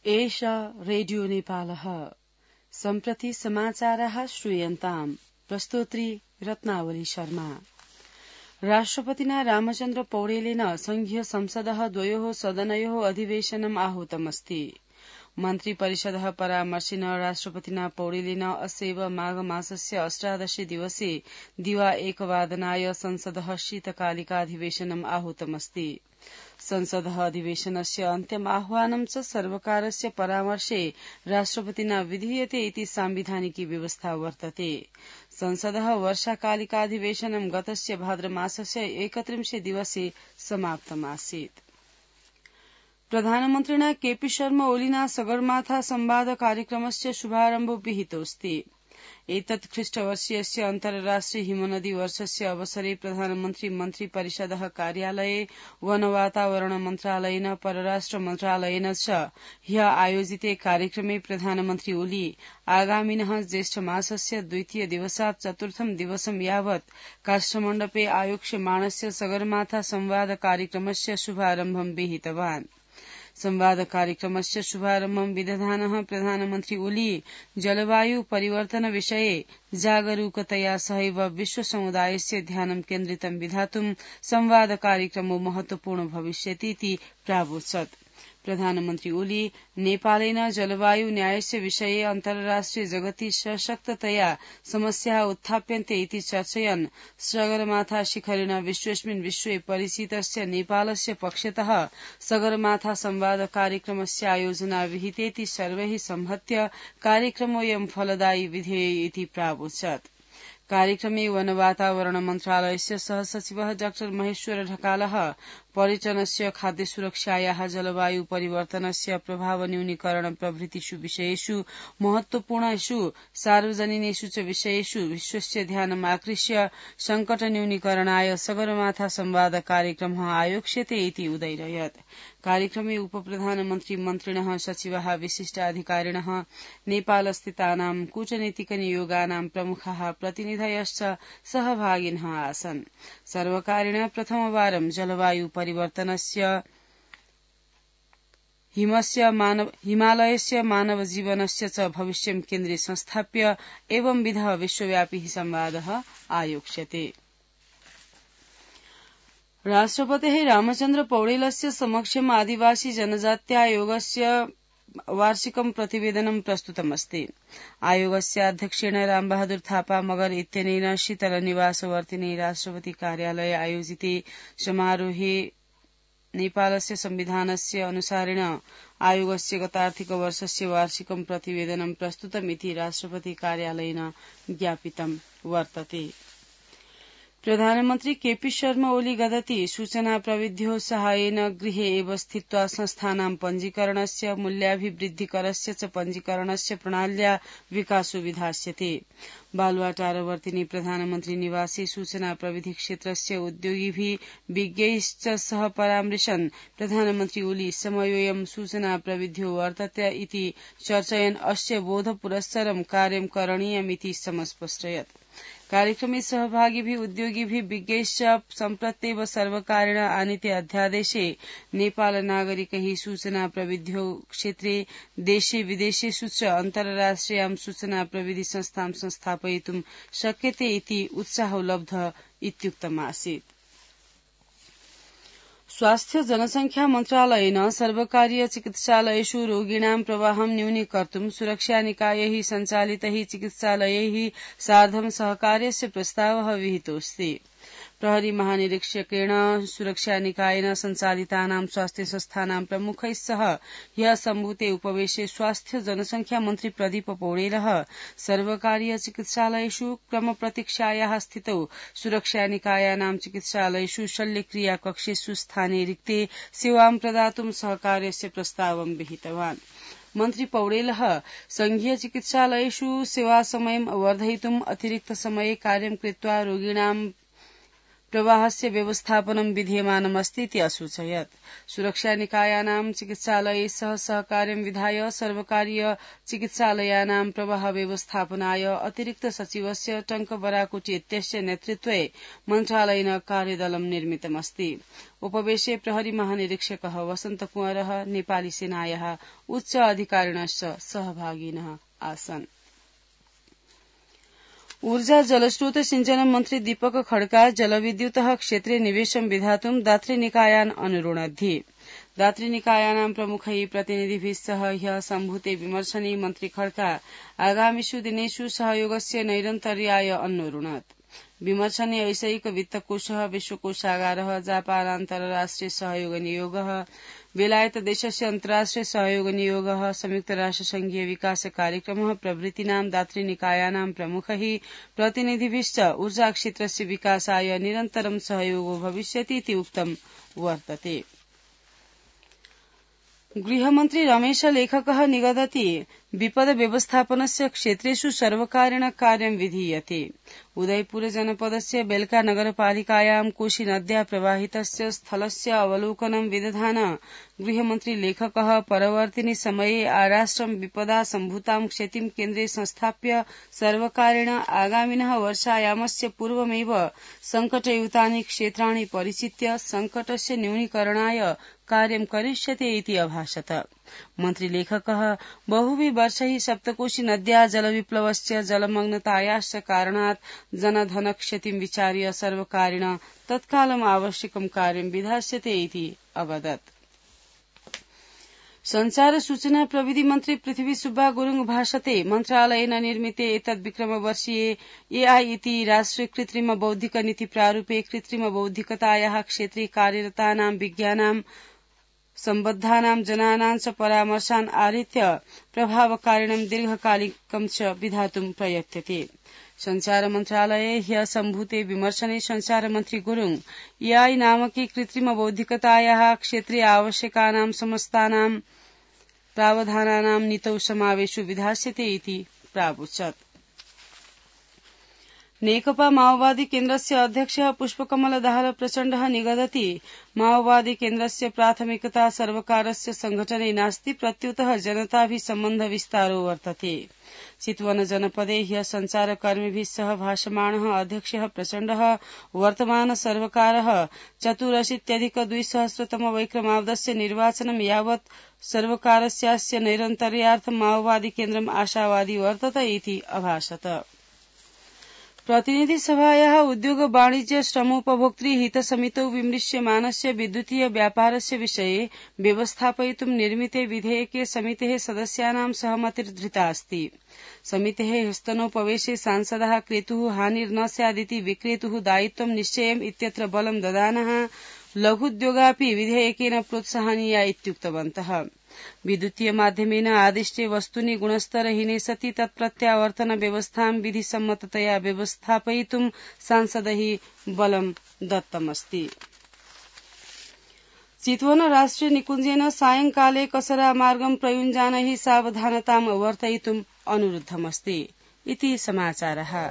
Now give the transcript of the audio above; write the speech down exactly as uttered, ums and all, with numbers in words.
एषा रेडियो नेपालः सम्प्रति समाचाराः श्रूयन्ताम् प्रस्तोत्री रत्नावली शर्मा। राष्ट्रपतिना रामचन्द्र पौडेलेन संघीय संसदः द्वयोः सदनयोः अधिवेशनम् आहूतमस्ति। मन्त्री परिषदः परामर्शिन राष्ट्रपतिना पौडेलेन अस्यैव माघ मासस्य अष्टादशे दिवसे दिवा एकवादनाय संसदः शीतकालिकाधिवेशनम् आहूतमस्ति। संसदः अधिवेशनस्य अन्त्यम् आह्वानं च सर्वकारस्य परामर्शे राष्ट्रपतिना विधीयते इति साम्विधानिकी व्यवस्था वर्तते। संसदः वर्षाकालिकाधिवेशनं गतस्य भाद्रमासस्य एकत्रिंशे दिवसे समाप्तमासीत्। प्रधानमन्त्रिणा केपी शर्मा ओलिना सगरमाथा संवाद कार्यक्रमस्य शुभारम्भो विहितोऽस्ति। एतत् ख्रीष्टवर्षीयस्य अन्तर्राष्ट्रिय हिमनदी वर्षस्य अवसरे प्रधानमन्त्री मन्त्री परिषदः कार्यालये वन वातावरण मन्त्रालयेन परराष्ट्र मन्त्रालयेन च ह्य आयोजिते कार्यक्रमे प्रधानमन्त्री ओली आगामिनः ज्येष्ठ मासस्य द्वितीय दिवसात् चतुर्थं दिवसं यावत् काष्ठमण्डपे आयोक्ष्यमाणस्य सगरमाथा संवाद कार्यक्रमस्य शुभारम्भं विहितवान्। संवाद कार्यक्रमस्य शुभारम्भं विदधानः प्रधानमन्त्री ओली जलवायु परिवर्तन विषये जागरूकतया सहैव विश्व समुदायस्य ध्यानं केन्द्रितं विधातुं संवाद कार्यक्रमो महत्वपूर्ण भविष्यतीति प्रावोचत्। प्रधानमन्त्री ओली नेपालेन जलवायु न्यायस्य विषये अन्तर्राष्ट्रिय जगति सशक्ततया समस्याः उत्थाप्यन्ते इति चर्चयन् सगरमाथा शिखरेण विश्वेस्मिन् विश्वे परिचितस्य नेपालस्य पक्षतः सगरमाथा संवाद कार्यक्रमस्य आयोजना विहितेति सर्वैः संहत्य कार्यक्रमोऽयं फलदायी विधेय इति प्रावोचत्। कार्यक्रमे वन वातावरण मन्त्रालयस्य सहसचिवः डाक्टर महेश्वर ढकालः पर्यटनस्य खाद्य सुरक्षायाः जलवायु परिवर्तनस्य प्रभाव न्यूनीकरण प्रभृतिषु विषयेषु महत्वपूर्णेषु सार्वजनिनेषु च विषयेषु विश्वस्य ध्यानम् आकृष्य संकट न्यूनीकरणाय सगरमाथा संवाद कार्यक्रमः आयोक्ष्यते इति उदैरयत्। कार्यक्रमे उपप्रधानमन्त्री मन्त्रिणः सचिवाः विशिष्टाधिकारिणः नेपालस्थितानां कूटनीतिकनियोगानां प्रमुखाः प्रतिनिधयश्च सहभागिनः आसन्। सर्वकारेण प्रथमवारं जलवायु परिवर्तनस्य हिमस्य मानव हिमालयस्य मानव जीवनस्य च भविष्यं केन्द्रे संस्थाप्य एवंविधः विश्वव्यापी संवादः आयोक्ष्यते। राष्ट्रपतेः रामचन्द्र पौडेलस्य समक्षम् आदिवासी जनजात्यायोगस्य वार्षिकं प्रतिवेदनं प्रस्तुतमस्ति। आयोगस्य अध्यक्षेण रामबहादुर थापा मगर इत्यनेन शीतलनिवासवर्तिने राष्ट्रपति कार्यालये आयोजिते समारोहे नेपालस्य संविधानस्य अनुसारेण आयोगस्य गतार्थिक वर्षस्य वार्षिकं प्रतिवेदनं प्रस्तुतमिति राष्ट्रपति कार्यालयेन ज्ञापितं वर्तते। प्रधानमन्त्री केपी शर्मा ओली गदति सूचना प्रविध्योः साहाय्येन गृहे एव स्थित्वा संस्थानां पञ्जीकरणस्य मूल्याभिवृद्धिकरस्य च पञ्जीकरणस्य प्रणाल्या विकासो विधास्यते। बालुवाटारवर्तिनि प्रधानमन्त्री निवासे सूचना प्रविधि क्षेत्रस्य उद्योगिभिः विज्ञैश्च सह परामृशन् प्रधानमन्त्री ओली समयोऽयं सूचना प्रविध्यो वर्तते इति चर्चयन् अस्य बोधपुरस्सरं कार्यं करणीयमिति समस्पष्टयत्। कार्यक्रमे सहभागिभिः उद्योगिभिः विज्ञैश्च सम्प्रत्येव सर्वकारेण आनीते अध्यादेशे नेपाल नागरिकैः सूचना प्रविध्यो क्षेत्रे देशे विदेशेषु च अन्तर्राष्ट्रियां सूचना प्रविधि संस्थां संस्थापयितुं शक्यते इति उत्साहोपलब्ध इत्युक्तमासीत्। स्वास्थ्य जनसंख्या मन्त्रालयेन सर्वकारीय चिकित्सालयेषु रोगिणां प्रवाहं न्यूनीकर्तुं सुरक्षानिकायैः सञ्चालितैः चिकित्सालयैः सार्धं सहकार्यस्य प्रस्तावः विहितोऽस्ति। प्रहरी महानिरीक्षकेण सुरक्षानिकायेन सञ्चालितानां स्वास्थ्य संस्थानां प्रमुखैः सह ह्यः सम्भूते उपवेशे स्वास्थ्य जनसंख्या मन्त्री प्रदीप पौडेलः सर्वकारीय चिकित्सालयेषु क्रमप्रतीक्षायाः स्थितौ सुरक्षानिकायानां चिकित्सालयेषु शल्यक्रिया कक्षेषु स्थाने रिक्ते सेवां प्रदातुं सहकार्यस्य प्रस्तावं विहितवान्। मन्त्री पौडेलः संघीय चिकित्सालयेषु सेवासमयं वर्धयितुं अतिरिक्त समये कार्यं कृत्वा रोगिणां प्रवाहस्य व्यवस्थापनं विधीयमानमस्ति इति असूचयत्। सुरक्षानिकायानां चिकित्सालये सह सहकार्यं विधाय सर्वकारीय चिकित्सालयानां प्रवाह व्यवस्थापनाय अतिरिक्त सचिवस्य टंक बराकुटी इत्यस्य नेतृत्वे मन्त्रालयेन कार्यदलं निर्मितमस्ति। उपवेशे प्रहरी महानिरीक्षकः वसन्त कुंवरः नेपाली सेनायाः उच्च अधिकारिणश्च सहभागिनः आसन्। ऊर्जा जलस्रोत सिंचन मन्त्री दीपक खड्का जलविद्युतः क्षेत्रे निवेशं विधातुं दातृनिकायान् अनुरुणद्धि। दातृनिकायानां प्रमुखैः प्रतिनिधिभिः सह ह्यः सम्भूते विमर्शने मन्त्री खड्का आगामिषु दिनेषु सहयोगस्य नैरन्तर्याय अन्नोरुणत्। विमर्शने वैषयिक वित्तकोषः, विश्वकोषागारः, जापान अन्तर्राष्ट्रिय सहयोग नियोगः, बेलायत देशस्य अन्तर्राष्ट्रिय सहयोग नियोगः, संयुक्त राष्ट्र संघीय विकास कार्यक्रमः प्रभृतीनां दातृनिकायानां प्रमुखैः प्रतिनिधिभिश्च ऊर्जा क्षेत्रस्य विकासाय निरन्तरं सहयोगो भविष्यति इति उक्तं वर्तते। गृहमन्त्री रमेश लेखकः निगदति विपद व्यवस्थापनस्य क्षेत्रेषु सर्वकारेण कार्यं विधीयते। उदयपुर जनपदस्य बेल्का नगरपालिकायां कोशी नद्या प्रवाहितस्य स्थलस्य अवलोकनं विदधान गृहमन्त्री लेखकः परवर्तिनि समये आराष्ट्रं विपदा सम्भूतां क्षतिं केन्द्रे संस्थाप्य सर्वकारेण आगामिनः वर्षायामस्य पूर्वमेव संकटयुतानि क्षेत्राणि परिचित्य संकटस्य न्यूनीकरणाय कार्यं करिष्यते इति अभाषत। मन्त्री लेखकः बहुभिः वर्षैः सप्तकोशी नद्या जलविप्लवस्य जलमग्नतायाश्च कारणात् जनधन क्षतिं विचार्य सर्वकारेण तत्कालम् आवश्यकं कार्यं विधास्यते इति अवदत्। संचार सूचना प्रविधि मन्त्री पृथ्वी सुब्बा गुरुङ भाषते मन्त्रालयेन निर्मिते एतद् विक्रमवर्षीये एआई इति राष्ट्रिय कृत्रिम बौद्धिक नीति प्रारूपे कृत्रिम बौद्धिकतायाः क्षेत्रे कार्यरतानां विज्ञानां सम्बद्धानां जनानां च परामर्शान् आधृत्य प्रभावकारिणं दीर्घकालिकं च विधातुं प्रयत्यते। संचार मन्त्रालये ह्यः सम्भूते विमर्शने संचार मन्त्री गुरुङ एआई नामकी कृत्रिम बौद्धिकतायाः क्षेत्रे आवश्यकानां समस्तानां प्रावधानानां नीतौ समावेशो विधास्यते इति प्रावोचत्। नेकपा माओवादी केन्द्रस्य अध्यक्षः पुष्पकमल दाहाल प्रचण्डः निगदति माओवादी केन्द्रस्य प्राथमिकता सर्वकारस्य संघटने नास्ति, प्रत्युतः जनताभिः सम्बन्ध विस्तारो वर्तते। चितवन जनपदे ह्यः संचारकर्मिभिः सह भाषमाणः अध्यक्षः प्रचण्डः वर्तमान सर्वकारः चतुरशीत्यधिक द्विसहस्रतम वैक्रमाब्दस्य निर्वाचनं यावत् सर्वकारस्यास्य नैरन्तर्यार्थं माओवादी केन्द्रम् आशावादी वर्तते इति अभाषत। प्रतिनिधि सभायाः उद्योग वाणिज्य श्रमोपभोक्तृ हितसमितौ विमृश्यमानस्य विद्युतीय व्यापारस्य विषये व्यवस्थापयितुं निर्मिते विधेयके समितेः सदस्यानां सहमतिर्धृता अस्ति। समितेः ह्यस्तनोपवेशे सांसदाः क्रेतुः हानिर्न स्यादिति विक्रेतुः दायित्वं निश्चयम् इत्यत्र बलं ददानः लघुद्योगापि विधेयकेन प्रोत्साहनीया इत्युक्तवन्तः। विद्युतीय माध्यमेन आदिष्टे वस्तूनि गुणस्तरहीने सति तत्प्रत्यावर्तन व्यवस्थां विधिसम्मततया व्यवस्थापयितुं सांसदैः बलं दत्तमस्ति। चितवन राष्ट्रिय निकुञ्जेन सायंकाले कसरा मार्गं प्रयुञ्जानैः सावधानतां वर्तयितुम् अनुरुद्धमस्ति इति समाचारः।